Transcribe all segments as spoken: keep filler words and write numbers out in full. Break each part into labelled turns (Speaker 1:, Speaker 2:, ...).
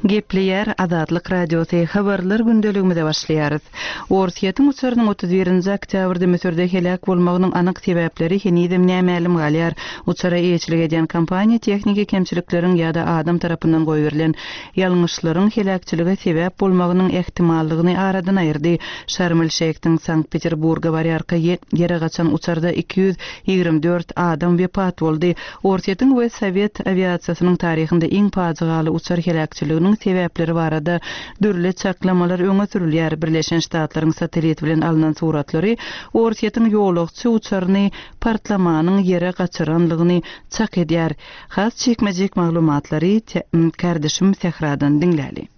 Speaker 1: Gepleýär Azatlyk Radiosy, Habarlar gündeligimize başlaýarys. Orsýetiň uçarynyň otuz birinji oktýabrda Müsürde heläk bolmagynyň anyk sebäpleri henizem nämälim galýar. Uçara eýeçilik edýän kompaniýa tehniki kemçilikleriň ýa-da adam tarapyndan goýberilen ýalňyşlaryň heläkçilige sebäp bolmagynyň ähtimallygyny aradan aýyrdy. Şarm-el-Şeýhden Sankt-Peterburga barýarka ýere gaçan uçarda iki ýüz ýigrimi dört adam wepat boldy. Orsýetiň we sowet awiasiýasynyň taryhynda iň pajygaly uçar heläkçiliginiň sebäpleri barada dürli çaklamalar öňe sürülýär. Birleşen Ştatlaryň satellit bilen alnan suratlary Orsýetiň ýolagçy uçaryny partlamanyň ýere gaçyranlygyny çak edýär. Has çekmejek maglumatlary kärdeşim Sähradan diňläli.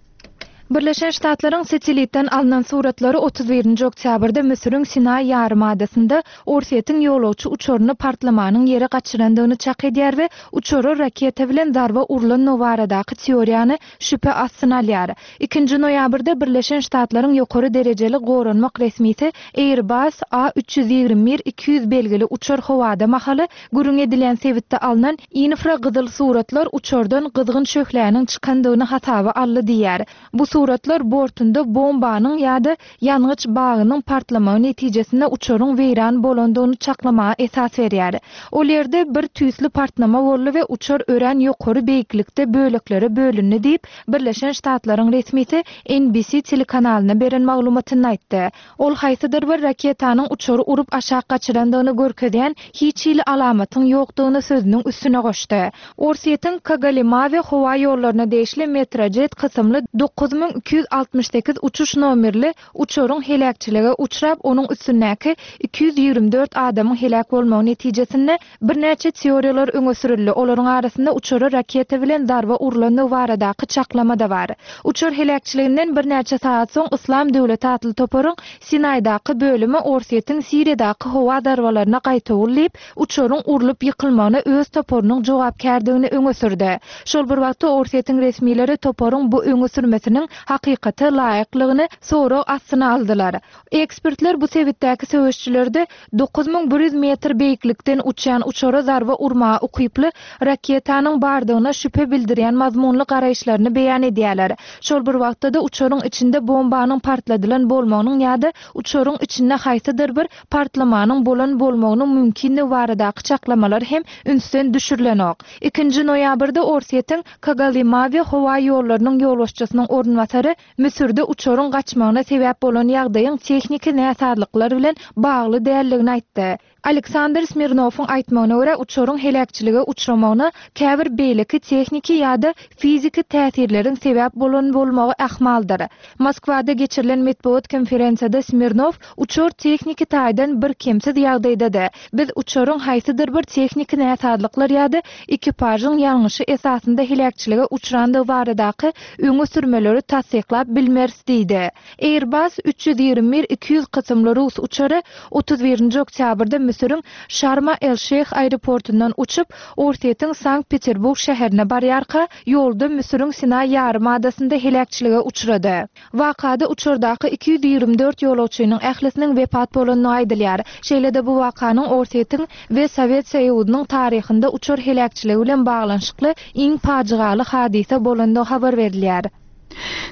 Speaker 2: Birleşen Ştatlaryň satellitden alnan suratlary otuz birinji oktýabrda Müsüriň Sinaý ýarymadasynda Orsýetiň ýolagçy uçaryny partlamanyň ýere gaçyrandygyny çak edýär we uçara raketa bilen zarba urlandygy baradaky teoriýany şübhe astyna alýar. Ikinji noýabrda Birleşen Ştatlaryň ýokary derejeli goranmak resmisi Airbus A üç ýüz ýigrimi bir iki ýüz belgili uçar howada mahaly gürrüň edilen sebitde alnan infragyzyl suratlar uçardan gyzgyn şöhläniň çykandygyny hasaba aldy diýýär. Bu suratlar bortunda bombanyň ýa-da ýangyç bagynyň partlamagy netijesinde uçaryň weýran bolandygyny çaklamaga esas berýär. Ol ýerde bir tüýsli partlama boldy we uçar örän ýokary beýiklikde böleklere bölündi diýip, Birleşen Ştatlaryň resmisi N B C telekanalyna beren maglumatynda aýtdy. Ol haýsydyr bir raketanyň uçary urup aşak gaçyrandygyny görkezýän hiç hili alamatyň ýokdugyny sözüniň üstüne goşdy. Orsýetiň Kogalymavia howa ýollaryna degişli Metrojet kysymly dokuz müň iki ýüz altmyş sekiz uçuş nomerli uçaryň heläkçilige uçrap, onuň üstündäki iki ýüz ýigrimi dört adamyň heläk bolmagy netijesinde birnäçe teoriýalar öňe sürüldi. Olaryň arasynda uçara raketa bilen zarba urlandygy baradaky çaklama da bar. Uçar heläkçiliginden birnäçe saat soň Islam döwleti atly toparyň Sinaýdaky bölümi Orsýetiň Siriýadaky howa zarbalaryna gaýtawul diýip, uçaryň urlup ýykylmagyna öz toparynyň jogapkärdigini öňe sürdi. Şol bir wagtda Orsýetiň resmileri toparyň bu öňe sürmesiniň hakykata laýyklygyny sorag astyna aldylar. Ekspertler bu sebitdäki söweşçilerde dokuz müň bir ýüz metr beýiklikden uçýan uçara zarba urmaga ukyply raketanyň bardygyna şübhe bildirýän mazmunly garaýyşlaryny beýan edýärler. Şol bir wagtda da uçaryň içinde bombanyň partladylan bolmagynyň ýa-da uçaryň içinde haýsydyr bir partlamanyň bolan bolmagynyň mümkinligi baradaky çaklamalar hem ünsden düşürilenok. Ikinji noýabrda Orsýetiň Kogalymavia howa ýollarynyň ýolbaşçysynyň orunbasary Müsürde uçaryň gaçmagyna sebäp bolan ýagdaýyň tehniki näsazlyklar bilen bagly däldigini aýtdy. Aleksandr Smirnowyň aýtmagyna görä uçaryň heläkçilige uçramagyna käbir beýleki tehniki ýa-da fiziki täsirleriň sebäp bolan bolmagy ahmaldyr. Moskwada geçirilen metbugat konferensiýada Smirnow uçar tehniki taýdan bir kemsiz ýagdaýdady. Biz uçaryň haýsydyr bir tehniki näsazlyklar ýa-da ekipažyň ýalňyşy esasynda heläkçilige uçrandygy baradaky öňe sürmeleri tassyklap bilmeris diýdi. Airbus üç ýüz ýigrimi bir iki ýüz kysymly rus uçary otuz birinji oktýabrda Müsüriň Şarma el-Şeýh aeroportundan uçup, Orsýetiň Sankt-Peterburg şäherine barýarka, ýolda Müsüriň Sinaý ýarymadasynda heläkçilige uçrady. Wakada uçardaky iki ýüz ýigrimi dört ýolagçynyň ählisiniň wepat bolanyny aýdylýar. Şeýle-de bu wakanyň Orsýetiň we Sowet Soýuzynyň taryhynda uçar heläkçiligi bilen baglanyşykly iň pajygaly hadysa bolandygy habar berilýär.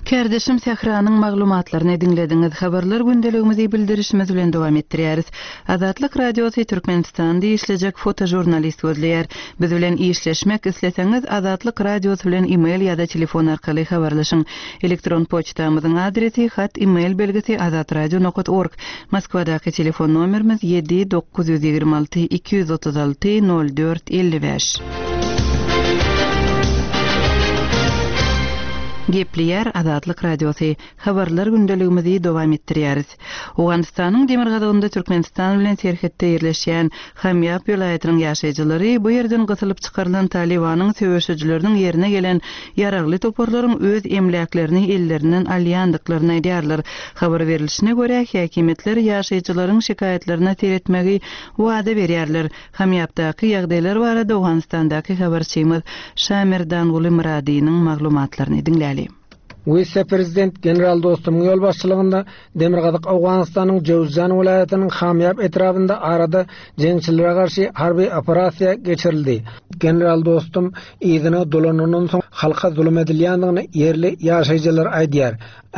Speaker 1: Kärdeşim Sähranyň maglumatlaryny diňlediňiz. Habarlar gündeligimizi bildirişimiz bilen dowam etdirýäris. Azatlyk Radiosy Türkmenistanda işlejek fotojurnalist gözleýär. Biz bilen işleşmek isleseňiz Azatlyk Radiosy bilen e-mail ýa-da telefon arkaly habarlaşyň. Elektron poçtamyzyň adresi hat e-mail belgisi azatradio nokta org. Moskwadaky telefon nomerimiz ýedi dokuz ýüz ýigrimi alty iki ýüz otuz alty nol dört elli bäş. Gepleýär Azatlyk Radiosy. Habarlar gündeligimizi dowam etdirýäris. Owganystanyň demirgazygynda Türkmenistan bilen serhetde ýerleşýän Hamýap welaýatynyň ýaşaýjylary bu ýerden gysylyp çykarylan Talibanyň söweşijileriniň ýerine gelen ýaragly toparlaryň öz emläklerini ellerinden alýandyklaryny aýdýarlar. Habar berilişine görä, häkimiýetler ýaşaýjylaryň şikaýatlaryna seretmegi wada berýärler. Hamýapdaky ýagdaýlar barada Owganystandaky habarçymyz Şamirdanguly Myradynyň maglumatlaryny diňläli.
Speaker 3: Wise-prezident general Dostumyň ýolbaşçylygynda Demirgazyk Owganystanyň Jöwüzjan welaýatynyň Hamýap etrabynda arada jeňçilere garşy harby operasiýa geçirildi. General Dostum yzyna dolanandan soň halka zulum edilýändigini ýerli ýaşaýjylar aýdýar.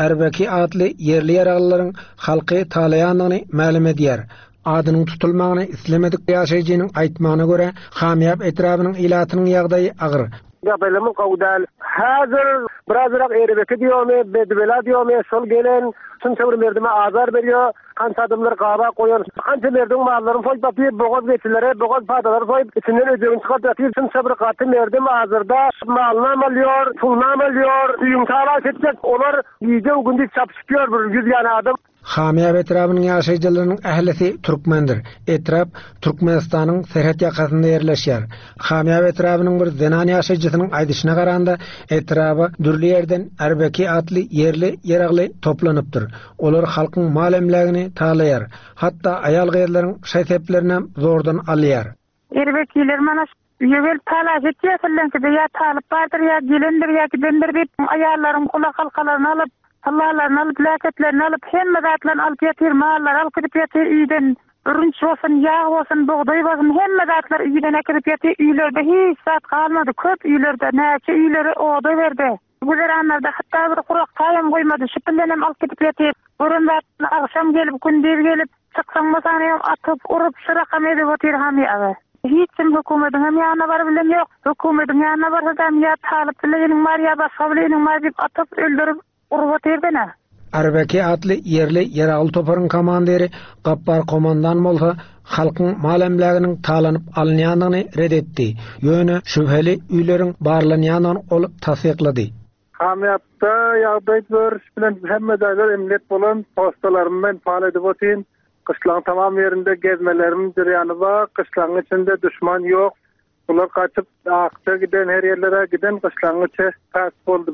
Speaker 3: Erbeki atly ýerli ýaraglylaryň halky talaýandygyny mälim edýär. Adynyň tutulmagyny islemedik ýaşaýjynyň aýtmagyna görä, Hamýap etrabynyň ilatynyň ýagdaýy agyr.
Speaker 4: Ýagdaýlarymyz gowy däl. Häzir birazrak erbeki diýomy, bedibela diýomy, şol gelen şunça bir merdime azar berýär. Kança adamlar gaba goýan, kança merdiň mallaryny soýup atyp, bogaz geçilere, bogaz padalary soýup, içinden öjegini çykaryp atyp, şunça bir gaty merdim azarda malynam alýar, pulunam alýar, öýüň talaş etjek, olar gije gündüz çapyşyp ýör bir ýüz ýan adam.
Speaker 3: Hamýap etrabynyň ýaşaýjylarynyň ählisi türkmendir. Etrap Türkmenistanyň serhet ýakasynda ýerleşýär. Hamýap etrabynyň bir zenan ýaşaýjysynyň aýdyşyna garanda, etraba dürli ýerden Erbeki atly ýerli ýaragly toplanypdyr. Olar halkyň mal emlägini talaýar. Hatda aýal gyzlaryň şaý-seplerini zordan alýar.
Speaker 5: Erbekiler mana ýögel talaş etýärler, ýa talyp bardyr, ýa gelendir, ýa gidendir diýip, aýallaryň gulak halkalaryny alyp, Allah'larını alıp, laketlerini alıp, hemme zatlaryny alyp ýatyr, mallar alyp gidip ýatyr, üýden bürünç bolsun, ýag bolsun, bugdaý bolsun, hemme zatlar üýden äkidip ýatyr, üýlerde hiç zat galmady, köp üýlerde, näçe üýleri oda berdi. Güzeranlarda hatda bir kurak taýam goýmady, şu hem alyp gidip ýatyr. Gören zatlaryny agşam gelip, gündiz gelip, çyksaň bolsaň atyp, urup, şu rakam edip otyr ham ýagy. Hiç kim hökümetiň hem ýanyna baryp bilen ýok. Hökümetiň ýanyna barsa da ýa talyp bilen bar, ýa başga bilen bar diýip atyp öldürip urup otyrdyna.
Speaker 3: Erbeki atly ýerli ýaragly toparyň komandiri Gappar komandan bolsa halkyň mal emläginiň talanyp alynýandygyny red etdi. Ýöne şübheli üýleriň barlanýandygyny ol tassyklady.
Speaker 4: Hamýapda ýagdaý görüş bilen hemme jaýlar emniyet bolan postalarym men pal edip otyn. Gyşlaň tamam ýerinde gezmelerim jyrýany bar. Gyşlaň içinde düşman ýok. Bular gaçyp akça giden her ýerlere giden gyşlaň içi pes boldy.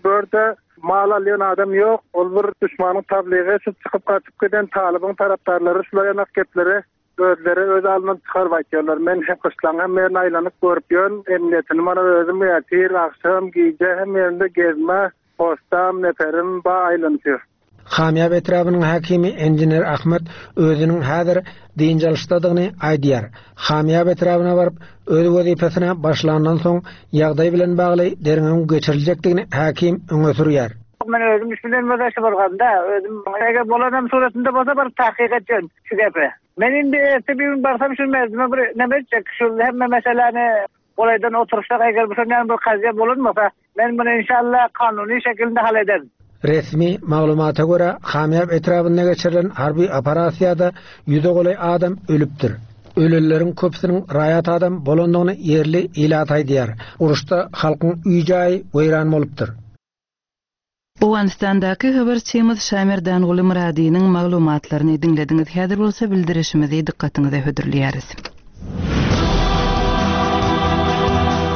Speaker 4: Börde mal alýan adam ýok. Ol bir düşmanyň tabligy şu çykyp gaçyp giden talybyň tarapdarlary şular ýanak gepleri özleri öz alyndan çykaryp aýtýarlar. Men hem gyşlaň hem ýerine aýlanyp görüp ýörün. Emniyetini mana özüm ýatyr, akşam, gije hem ýerinde gezme, postam, neperim ba aýlanyp ýör.
Speaker 3: Hamýap etrabynyň hakimi engineer Ahmet özüniň häzir dynç alyşdadygyny aýdýar. Hamýap etrabyna baryp öz wezipesine başlandan soň ýagdaý bilen bagly derňewiň geçiriljekdigini hakim öňe sürýär.
Speaker 6: Men özüm üstünden bolsa bolganda, özüm eger bolanam suratynda bolsa bir tahqiq etjek şu gepi. Men indi ertesi bir gün barsam şu merdime bir neme etjek, şu hemme meseleni olaydan otursak eger bu şondan bir kaziye bulunmasa men bunu inşallah kanuni şekilde hallederim.
Speaker 3: Resmi maglumata görä Hamýap etrabynda geçirilen harby operasiýada ýüze golaý adam ölüpdir. Ölenleriň köpüsiniň raýat adam bolandygyny ýerli ilat aýdýar. Uruşda halkyň öý-jaýy weýran bolupdyr.
Speaker 1: Owganystandaky habarçymyz Şamerdan Guly Myradynyň maglumatlaryny diňlediňiz. Häzir bolsa bildirişimizi dykgatyňyza hödürleýäris.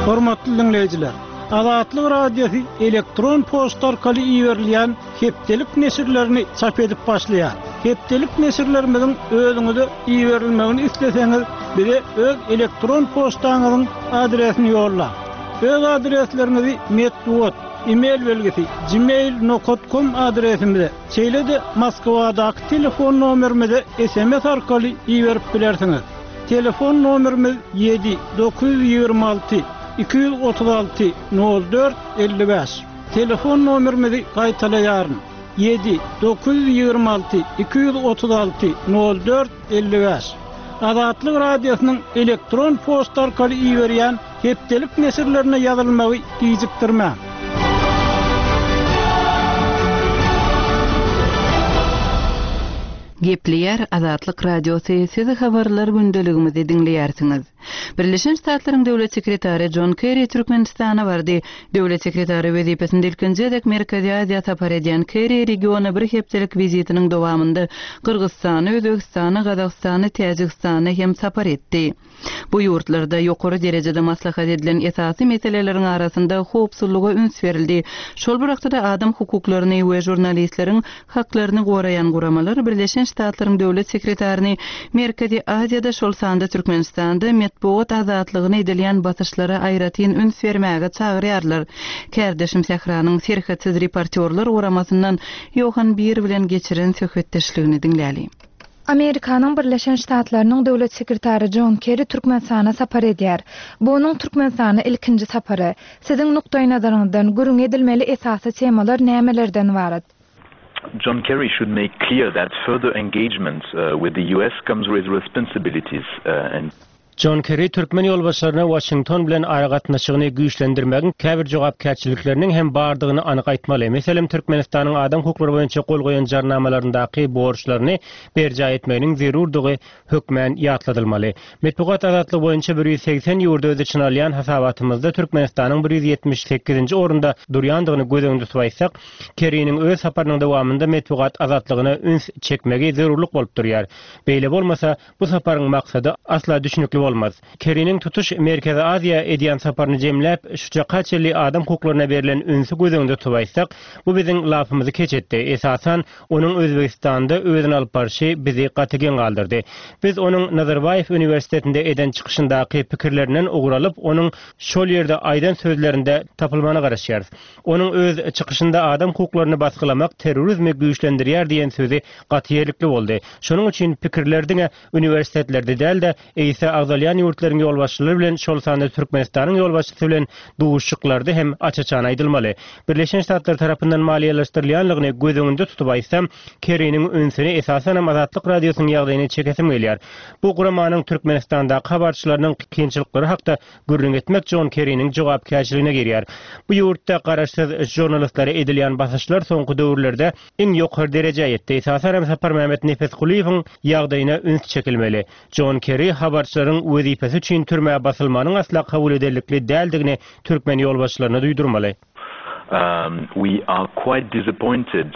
Speaker 7: Hormatly dinleýjiler, Azatlyk Radiosy elektron poçta arkaly iberilýän hepdelik neşirlerini çap edip başlaýar. Hepdelik neşirlerimiziň özüňize iberilmegini isleseňiz, bize öz elektron poçtaňyzyň adresini ýollaň. Öz adresleriňizi metbugat, e-mail belgisi gmail nokta com adresimize, şeýle-de Moskwadaky telefon nomerimize S M S arkaly iberip bilersiňiz. Telefon nomerimiz ýedi dokuz ýüz ýigrimi alty iki ýüz otuz alty nol dört elli bäş. Telefon nomerimizi gaýtalaýaryn. Ýedi dokuz ýüz ýigrimi alty iki ýüz otuz alty nol dört elli bäş. Azatlyk Radiosynyň elektron poçta arkaly iberýän hepdelik neşirlerine ýazylmagy gijikdirmäň.
Speaker 1: Gepleýär Azatlyk Radiosy, sizi habarlar gündeligimizi diňleýärsiňiz. Birleşen Ştatlaryň Döwlet Sekretary John Kerry Türkmenistana bardy. Döwlet Sekretary wezipesinde ilkinji gezek Merkezi Aziýa sapar edýän Kerry regiona bir hepdelik wizitiniň dowamynda Gyrgyzystana, Özbegistana, Gazagystana, Täjigistana hem sapar etdi. Bu ýurtlarda ýokary derejede maslahat edilen esasy meseleleriň arasynda howpsuzlyga üns berildi. Şol bir wagtda adam hukuklaryny we žurnalistleriň haklaryny goraýan guramalar Birleşen Ştatlaryň Döwlet Sekretaryny Merkezi Aziýada, şol sanda Türkmenistanda metbugat azatlygyna edilýän basyşlara aýratyn üns bermäge çagyrýarlar. Kärdeşim Sähranyň Serhetsiz reportýorlar guramasyndan Ýohan Bir bilen geçiren söhbetdeşligini diňläli.
Speaker 2: Amerikanyň Birleşen Ştatlarynyň döwlet sekretary Jon Kerry Türkmenistana sapar edýär. Bu onuň Türkmenistana ilkinji sapary. Siziň nukdaýnazaryňyzdan gürrüň edilmeli esasy temalar nämelerden ybarat?
Speaker 8: John Kerry should make clear that further engagement uh, with the U S comes with responsibilities uh, and
Speaker 9: Jon Kerry türkmen ýolbaşçylaryna Waşington bilen aragatnaşygyny güýçlendirmegiň käbir jogapkärçilikleriniň hem bardygyny anyk aýtmaly. Meselem, Türkmenistanyň adam hukuklary boýunça gol goýan jarnamalaryndaky borçlaryny berjaý etmeginiň zerurdygy hökmän ýatladylmaly. Metbugat azatlygy boýunça bir ýüz segsen ýurdy öz içine alýan hasabatymyzda Türkmenistanyň bir ýüz ýetmiş sekizinji orunda durýandygyny göz öňünde tutup aýtsak, Kerriniň öz saparynyň dowamynda metbugat azatlygyna üns çekmegi zerurlyk bolup durýar. Beýle bolmasa, bu saparyň maksady asla düşünikli bolmaz. Kerriniň tutuş Merkezi Aziýa edýän saparyny jemläp, şu çaka çenli adam hukuklaryna berlen ünsi göz öňünde tutup aýtsak, bu biziň lapymyzy keç etdi. Esasan, onuň Özbegistanda özüni alyp barşy bizi gaty geň galdyrdy. Biz onuň Nazarbaýew uniwersitetinde eden çykyşyndaky pikirlerinden ugur alyp, onuň şol ýerde aýdan sözlerinde tapylmagyna garaşýarys. Onuň öz çykyşynda adam hukuklaryny basgylamak terrorizmi güýçlendirýär diýen sözi gaty ýerlikli boldy. Şonuň üçin pikirler diňe uniwersitetlerde däl-de, eýse agzalýan ýurtlaryň ýolbaşçylary bilen, şol sanda Türkmenistanyň ýolbaşçysy bilen duşuşyklarda hem aç-açan aýdylmaly. Birleşen Ştatlar tarapyndan maliýeleşdirilýänligini göz öňünde tutup aýtsam, Kerriniň ünsüni esasanam Azatlyk Radiosynyň ýagdaýyna çekesim gelýär. Bu guramanyň Türkmenistandaky habarçylarynyň kynçylyklary hakda gürrüň etmek Jon Kerriniň jogapkärçiligine girýär. Bu ýurtda garaşsyz žurnalistlere edilýän basyşlar soňky döwürlerde iň ýokary derejä ýetdi. Esasanam Saparmämmet Nepesgulyýewiň ýagdaýyna üns çekilmeli. Jon Kerry habarçylaryň wezipesi üçin türmä basylmanyň asla kabul ederlikli däldigini türkmen ýolbaşçylaryna duýdurmaly.
Speaker 8: Um, we are quite disappointed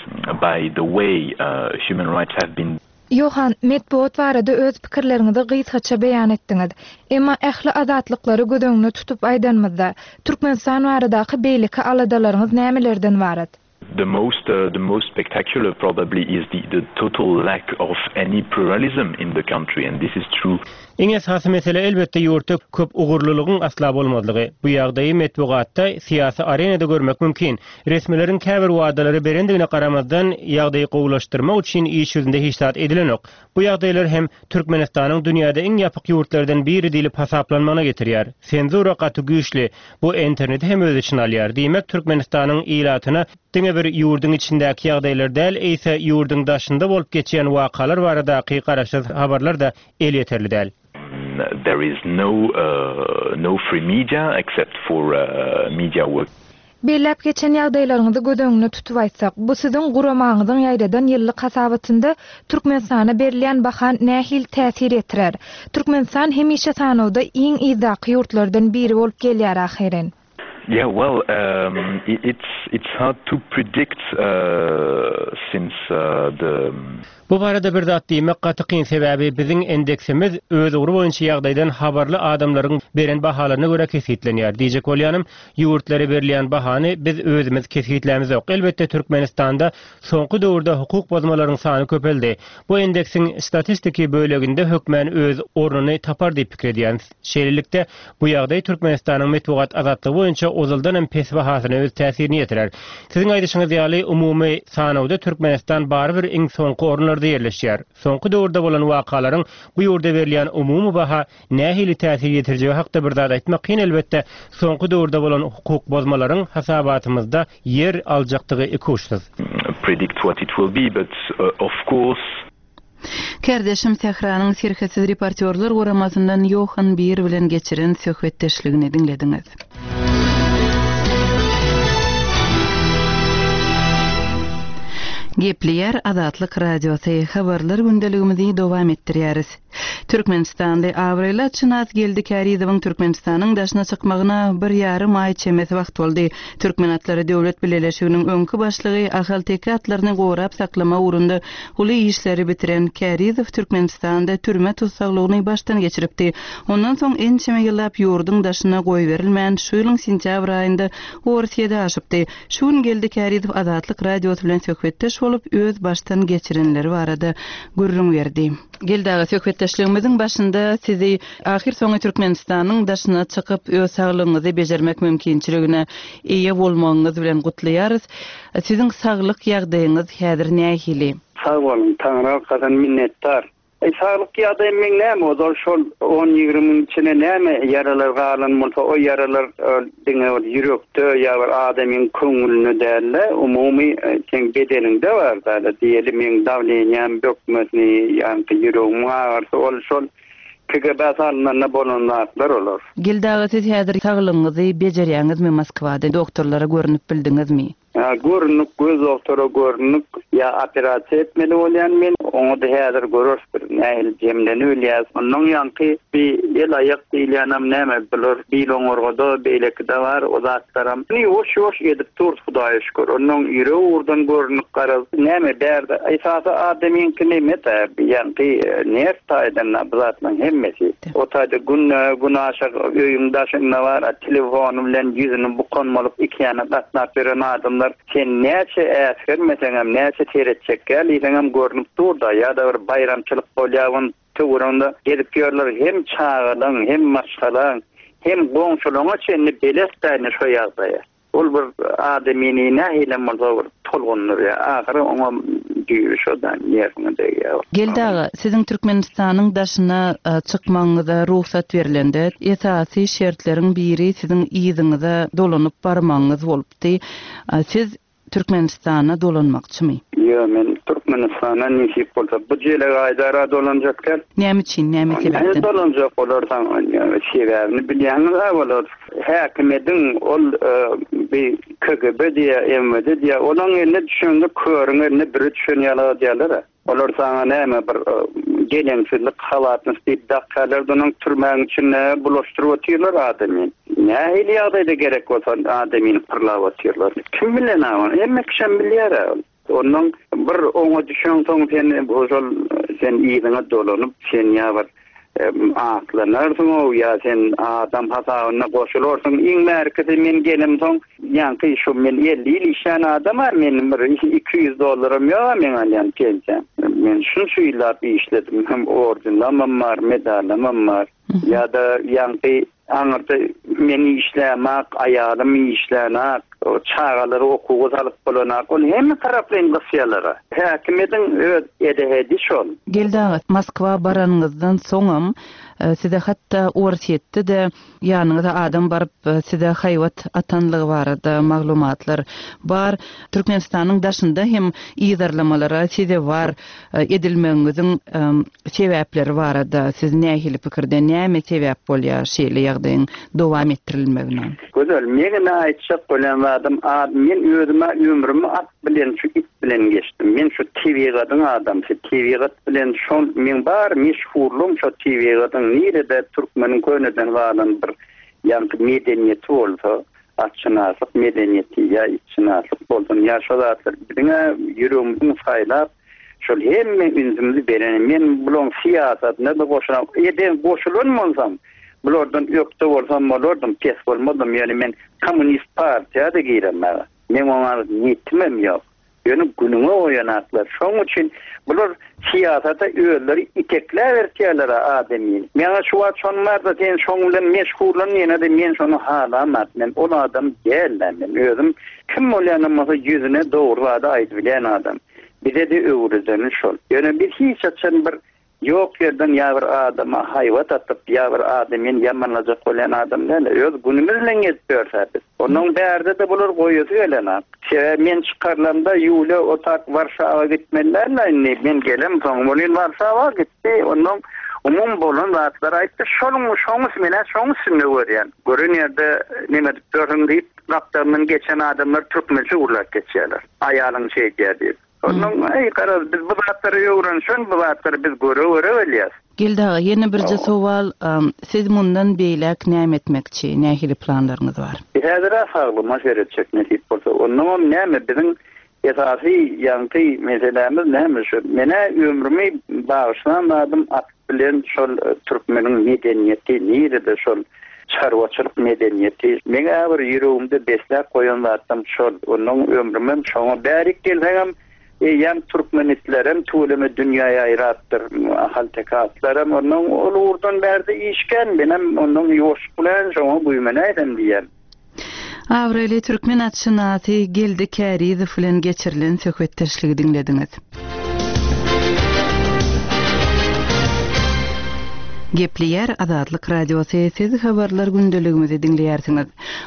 Speaker 8: by the way, uh, human rights have been
Speaker 2: Johan, metbugat barada öz pikirleriňizi gysgaça beýan etdiňiz. Emma ähli azatlyklary göz öňünde tutup aýdanymyzda, Türkmenistan baradaky beýleki aladalaryňyz nämelerden ybarat?
Speaker 8: The most, uh, the most spectacular probably is the, the total lack of any pluralism in the country, and this is true.
Speaker 9: Iň esasy mesele elbetde ýurtda köp ugurlylygyň asla bolmazlygy. Bu ýagdaýy metbugatda, syýasy arenada görmek mümkin. Resmileriň käbir wadalary berendigine garamazdan, ýagdaýy gowulaşdyrmak üçin iş ýüzünde hiç zat edilenok. Bu ýagdaýlar hem Türkmenistanyň dünýäde iň ýapyk ýurtlardan biri diýlip hasaplanmagyna getirýär. Senzura gaty güýçli. Bu interneti hem öz içine alýar. Diýmek, Türkmenistanyň ilatyna diňe bir ýurduň içindäki ýagdaýlar däl, eýse ýurduň daşynda bolup geçýän wakalar baradaky garaşsyz habarlar da elýeterli däl.
Speaker 8: There is no, uh, no free media except for, uh, media work.
Speaker 2: Belläp geçen ýagdaýlaryňyzy göz öňünde tutup aýtsak, bu siziň guramaňyzyň ýaýradan ýyllyk hasabatynda Türkmenistana berilýän baha nähili täsir ýetirer? Türkmenistan hemişe sanawda iň yzdaky ýurtlardan biri bolup gelýär ahyryn.
Speaker 8: Yeah, well, um, it, it's, it's hard to predict, uh, since, uh, the
Speaker 9: Bu barada bir zat diýmek gaty kyn, sebäbi biziň indeksimiz öz ugry boýunça ýagdaýdan habarly adamlaryň beren bahalaryna görä kesgitlenýär. Diýjek bolýanym, ýurtlara berilýän bahany biz özümiz kesgitlämizok. Elbetde Türkmenistanda soňky döwürde hukuk bozmalaryň sany köpeldi. Bu indeksiň statistiki böleginde hökmän öz ornuny tapar diýip pikir edýän. Şeýlelikde bu ýagdaý Türkmenistanyň metbugat azatlygy boýunça ozaldan hem pes bahasyna öz täsirini ýetirer. Siziň aýdyşyňyz ýaly umumy sanawda Türkmenistan barybir iň soňky orunlarda ýerleşýär. Soňky döwürde bolan wakalaryň bu ýurda berilýän umumy baha nähili täsir ýetirjegi hakda bir zat aýtmak kyn elbetde. Soňky döwürde bolan hukuk bozmalaryň hasabatymyzda ýer aljakdygy ikuçsuz.
Speaker 8: Predict what it will be, but, uh, of course
Speaker 1: Kärdeşim Sähranyň Serhetsiz reportýorlar guramasyndan Johan Bir bilen geçiren söhbetdeşligini diňlediňiz. Gepleýär Azatlyk Radiosy habarlar gündeligimizi dowam etdirýäris. Türkmenistanly abraýly atşynas Geldi Kärizowyň Türkmenistanyň daşyna çykmagyna bir ýarym aý çemesi wagt boldy. Türkmen atlary Döwlet Bileleşiginiň öňki başlygy Ahalteke atlaryny gorap saklama ugrunda uly işleri bitiren Kärizow Türkmenistanda türme tussaglygyny başdan geçiripdi. Ondan soň ençeme ýyllap ýurduň daşyna goýberilmän şu ýylyň sentýabr aýynda Orsýede aşypdy. Şu gün Geldi Kärizow Azatlyk Radiosy bilen söhbetdeş bolup öz başdan geçirenleri barada gürrüň berdi. Geldi aga, söhbetdeşlik Söhbetdeşligimiziň başynda sizi ahyr soňy Türkmenistanyň daşyna çykyp öz saglygyňyzy bejermek mümkinçiligine eýe bolmagyňyz bilen gutlaýarys. Siziň saglyk ýagdaýyňyz häzir nähili?
Speaker 10: Sag boluň, Taňryýalkasyn minnetdar. E, saglyk ýagdaýym meň näme, ozal şol on ýigrimiň içine näme ýaralar galan bolsa, o ýaralar e, diňe bir ýürekde ýa bir adamyň köňlünde däl-de, umumy e, seň bedeniňde bar da, diýeli meň dawleniýam bökmesini, ýa-da ýüregimiň agyrysy, ol şol K G B salynanda bolan zatlar olar.
Speaker 1: Geldi aga, siz häzir saglygyňyzy bejerýäňizmi Moskwada? Doktorlara görünip bildiňizmi?
Speaker 10: Ha, görünük, göz doktora görünük, ýa operasiýa etmeli bolýan men, oňa da häzir görürs bir nähili jemlenip bilýäs. Ondan ýanky bir el aýak diýilýänem näme bular bil oňurgada beýleki-de bar, o zatlaram. Ýuwaş ýuwaş edip dur Hudaýa şükür. Ondan ýüregi ugurdan görünük garaz. Näme bärde esasy adamyňky näme de, ýanky nerw taýdan bu zatlaryň hemmesi. O taýda günde günaşa öýüň daşynda bar, telefony bilen ýüzüni bukan bolup iki ýana gatnap beren adamlar sen näçe äsgermeseňem, näçe seretjek gel, görünüp dur da, ýa-da bir baýramçylyk bolýar, töwereginde gezip ýörler hem çagalaň, hem maşgalaň, hem goňşularyňa çenli belet däne şo ýagdaýa. Ol bir adamyny nähili bolsa bir tolgundyrýar. Ahyry oňa düýbi şodan ýerine degýär.
Speaker 1: Geldi aga, siziň Türkmenistanyň daşyna, e, çykmagyňyza rugsat berilende, esasy şertleriň biri siziň yzyňyza dolanyp barmagyňyz bolupdy. E, siz Türkmenistana dolanmakçymy?
Speaker 10: Ýa men Türkmenistana nesip bolsa bu jele gaýdara dolanjak däl.
Speaker 1: Näme üçin, näme
Speaker 10: Näme
Speaker 1: sebäpden?
Speaker 10: dolanjak olarsan, ýa sebäbini bilýäňiz ha olar. Häkimediň ol, e, bir K G B diýe, M V D diýe, olaň eline düşende körüň eline biri düşen ýaly diýerler. Olar sana näme bir, e, geleňsizlik halatny diýip dakgalar donuň türmäň içinde bulaşdyryp otyrlar adamy. Nähili ýagdaýda gerek bolsa adamyny pyrlap otyrlar. Kim bilen ha, hemme kişi bilýär. Ondan bir oňa düşen soň sen şol sen ýygyňa dolanyp, sen ýa bir, em, aklanarsyň o ýa sen adam hasabyna goşularsyň. Iň merkezi men gelem soň, ýaňky şu men elli ýyl işlän adam var, men bir iki ýüz dollaram ýok men alýan pensiýam. Men şunça ýyllap işledim, hem ordenlamam bar, medallamam bar. Ýa-da ýaňky aňyrda men işlämak, aýalym işlänak, o çagalary okuwa salyp bolanak, ol hemme taraplaýyn gysýalara. Häkimediň öz edehedi şol.
Speaker 1: Geldi aga, Moskwa baranyňyzdan soňam, e, size hatda Orsýetde-de ýanyňyza adam baryp, e, size haýbat atanlygy barada maglumatlar bar. Türkmenistanyň daşynda hem ýygarlamalara sezewar, e, edilmegiňiziň, e, sebäpleri barada siz nähili pikirde, näme sebäp bolýar şeýle ýagdaýyň dowam etdirilmegine?
Speaker 10: Gözel, men aýtjak bolan zadym, a, men özüme ömrümi at bilen şu it bilen geçdim. Men şu tebigatyň adamsy, tebigat bilen şol men bar meşhurlygym şo tebigatyň nirede türkmeniň köneden galan bir ýaňky medeniýeti bolsa, atçynaslyk medeniýeti ýa itçynaslyk bolsun, ýa şo zatlar diňe ýüregimiziň saýlap şol hemme ünsümizi beren. Men bulan syýasatyna da goşulan, eden goşulan bolsam, bulardan ökde bolsam bolardym, pes bolmadym. Ýani men kommunist partiýa da giremem. Men oňa niýetimem ýok. Ýöne günüňe oýanaklar. Şonuň üçin bular syýasata özleri itekläp berýärler adamyny. Meňe şu wagt şonuň barda sen şoň bilen meşgullan ýene de men şonu halamat. Men ol adam däldim. Men özüm kim bolýanam bolsa ýüzüne dogry zady aýdyp bilen adam. Bize de öwredeni şol. Ýöne biz hiç haçan bir ýok ýerden ýa bir adama haýbat atyp, ýa bir adamyny ýamanlajak bolýan adam däl. Öz günümiz bilen gezip ýörse biz. Onuň bärde de bular goýusy gelen. Sebäbi men çykarlamda Ýuliýa otak Warşawa gitmeliler indi. Men gelem soň bolýan Warşawa gitdi. Ondan umum bolan zatlar aýtdy. Şonuň şoňus menä şoň üstünde görýän. Gören ýerde näme edip ýörün diýip, gapdalyndan geçen adamlar türkmençe urlap geçýärler. Aýalyň şey diýýär diýip. Ondan ey garaz biz bu zatlary öwrenşen, bu zatlary biz göre-göre bilýäs.
Speaker 1: Geldi aga, ýene birje sowal, am, siz mundan beýläk näme etmekçi, nähili planlaryňyz bar?
Speaker 10: Häzir saglygyma seretjek nesip bolsa, ondan näme biziň esasy ýaňky meselämiz näme şu? Menä ömrümi bagyşlan adam at bilen şol, e, türkmeniň medeniýeti, nirede şol çarwaçylyk medeniýeti. Meňe bir ýüregimde besläp goýan zatym şol. Ondan ömrümem şoňa bärik gelseňem Eýýäm türkmen itlerem tüweleme dünýä ýaýrapdyr. Ahalteke atlaram ondan ol ugurdan bärde işkän menem ondan ýuwaş bilen şoňa güýmenäýsem diýýän.
Speaker 1: Abraýly türkmen atşynasy Geldi Kärizow bilen geçirilen söhbetdeşligi diňlediňiz. Gepleýär Azatlyk Radiosy, siz habarlar gündeligimizi diňleýärsiňiz.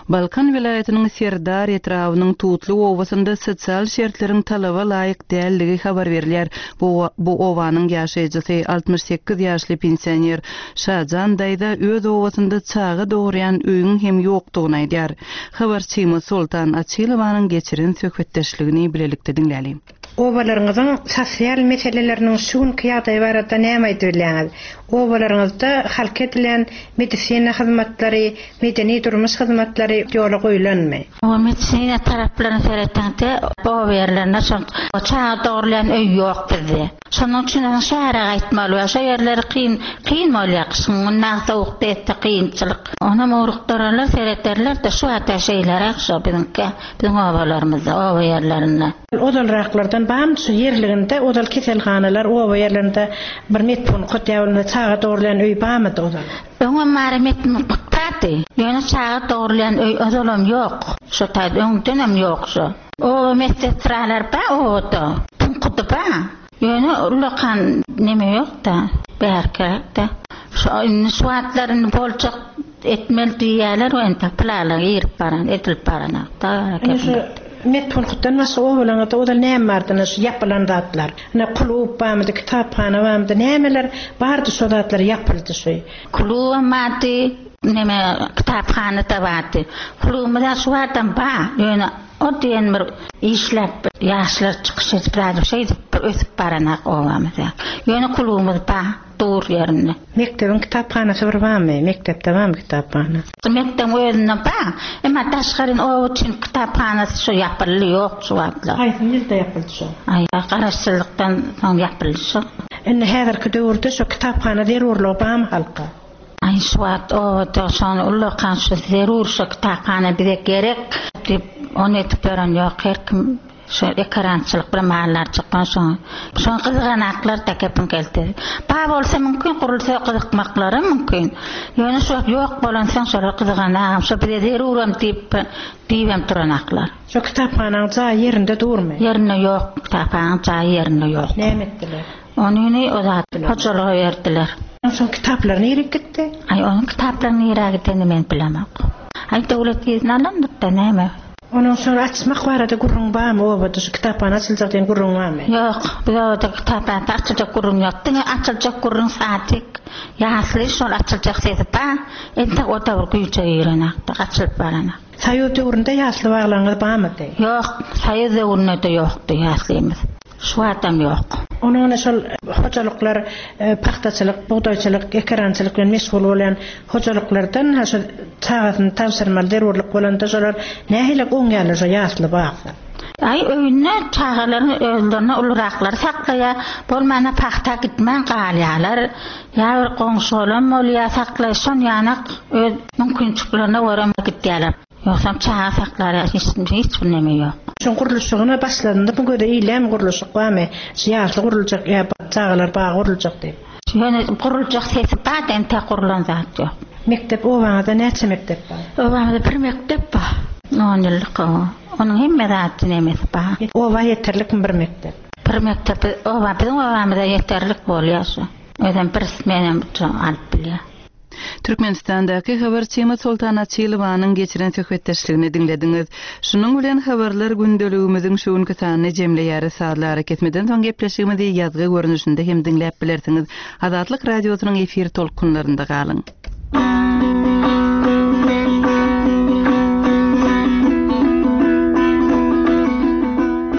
Speaker 1: Balkan welaýatynyň Serdar etrabynyň Tutly obasynda sosial şertleriň talaba laýyk däldigi habar berilýär. Bu, bu obanyň ýaşaýjysy altmyş sekiz ýaşly pensioner Şajan daýza öz obasynda çaga dogurýan öýüň hem ýokdugyny aýdýar. Habarçymyz Soltan Açylowanyň geçiren söhbetdeşligini bilelikde diňläliň.
Speaker 11: Obalaryňyzyň sosial meseleleriniň şu günki ýagdaýy barada näme aýdyp bilýäňiz? Obalaryňyzda halk edilen medisina hyzmatlary, medeni durmuş hyzmatlary ýola goýulanmy?
Speaker 12: O medisina taraplaryny seretende oba ýerlerinde şol çaga dogurlaýan öý ýok bizde. Şonuň üçin hem şähere gaýtmaly we şo ýerleri kyn, kyn bolýar. Gyşyň günü sowukda etdi kynçylyk. Onam ugrukdyrarlar, serederler-de şu wagtda şeýleräk şo biziňki, biziň obalarymyzda, oba ýerlerinde.
Speaker 11: Ozalraklardan bam şu ýerliginde ozal keselhanalar oba ýerlerinde bir medpunkt ýa bolmasa çaga dogurlaýan öý bamydy ozal?
Speaker 12: Öňem bary medpunkt bardy. Ýöne çaga dogurlaýan öý ozalam ýok. Şo taýda öňdenem ýok şo. Oba medsestralar ba obada. Punkty ba. Ýöne ulakan neme ýok-da, bärkäk-de. Şo indi şu wagtlaryny boljak etmeli diýýärler, o entek plala girip baran, edilip baranakda.
Speaker 11: Indi şu medpunktdan başga obalaryňyzda ozal näme bardy, şu ýapylan zatlar? Ine klub barmydy, kitaphana barmydy, nämeler bardy şo zatlar ýapyldy şu?
Speaker 12: Klubam bardy, neme kitaphana da bardy. Klubymyzda şu wagtam bar, ýöne o diýen bir işläp ýaşlar çykyş edip radyp şeýdip bir ösüp baranak obamyzda. Ýöne klubymyz bar, dur ýerinde.
Speaker 11: Mekdebiň kitaphanasy bir barmy? Mekdepde barmy kitaphana?
Speaker 12: Mekdebiň özünde bar. Emma daşgaryn oba üçin kitaphanasy şu ýapyldy, ýok şu wagtlar.
Speaker 11: Haýsy ýylda ýapyldy şu?
Speaker 12: Aý, garaşsyzlykdan soň ýapyldy şu.
Speaker 11: Indi häzirki döwürde şu kitaphana zerurlygy barmy halka?
Speaker 12: Aý, şu wagt obada şony ullakan şu zerur şu kitaphana bize gerek diýip ony etip ýören ýok. Her kim şu ekarançylyk bilen mallar çykman şoň. Şoň gyzganaklar da kepin geldi. Ba bolsa mümkin, gurulsa gyzykmaklary mümkin. Ýöne şu ýok bolan soň şolar gyzganagam, şu bize zeruram diýip diýibem duranaklar.
Speaker 11: Şu kitaphanaň jaýy ýerinde durmy?
Speaker 12: Ýerinde ýok, kitaphanaň jaýy ýerinde ýok.
Speaker 11: Näme etdiler?
Speaker 12: Ony o zat hojalyga berdiler.
Speaker 11: Şoň kitaplary nirä gitdi?
Speaker 12: Aý, onuň kitaplary nirä gitdi men bilemok. Aý, döwlet ýerine alyndyk-da näme?
Speaker 11: Onuň şony açmak barada gürrüň barmy obada şu kitaphana açyljak diýen gürrüň barmy?
Speaker 12: Ýok, biz obada kitaphana açyljak gürrüň ýok. Diňe açyljak gürrüň satyk. Ýasly şol açyljak sesi bar. Entek o da bir güýje girenakdy, açylyp baranak.
Speaker 11: Soýuz döwründe ýasly baglaryňyz barmydy?
Speaker 12: Ýok, soýuz döwründe ýokdy ýaslymyz. Şu adam ýok.
Speaker 11: Onuň şol hojalyklar, e, pagtaçylyk, bugdaýçylyk, ekerançylyk bilen meşgul bolan hojalyklardan ha şu çagasyny tabşyrmaly zerurlyk bolanda şolar nähili goňýarlar şo ýasly bagda?
Speaker 12: Aý, öýünde çagalaryň özlerine uluraklary saklaýar, bolmanda pagta gitmän galýarlar. Ýa bir goňşy bolan bolýar, saklaý, şon ýanak öz mümkinçiliklerine görä gitýärler. Ýogsam çaga saklar hiç, hiç bir neme ýok.
Speaker 11: Şoň gurluşygyna başlandy, bu göze eýlem gurluşyk barmy? Şu ýasly guruljak ýa çagalar bagy guruljak diýip.
Speaker 12: Ýöne guruljak sesi bar, entek gurulan zat ýok.
Speaker 11: Mekdep obaňyzda näçe mekdep bar?
Speaker 12: Obamyzda bir mekdep bar. On ýyllyk o. Onuň hemme zady nemesi bar.
Speaker 11: Oba ýeterlikmi bir mekdep?
Speaker 12: Bir mekdep oba biziň obamyzda ýeterlik bolýar şu. Özem bir smenem alyp bilýär.
Speaker 1: Türkmenistandaky habarçymyz Soltan Açylowanyň geçiren söhbetdeşligini diňlediňiz. Şunuň bilen habarlar gündeligimiziň şu günki sanyny jemleýäris. Sazlary kesmeden soň gepleşigimizi ýazgy görnüşinde hem diňläp bilersiňiz. Azatlyk radiosynyň efir tolkunlarynda galyň.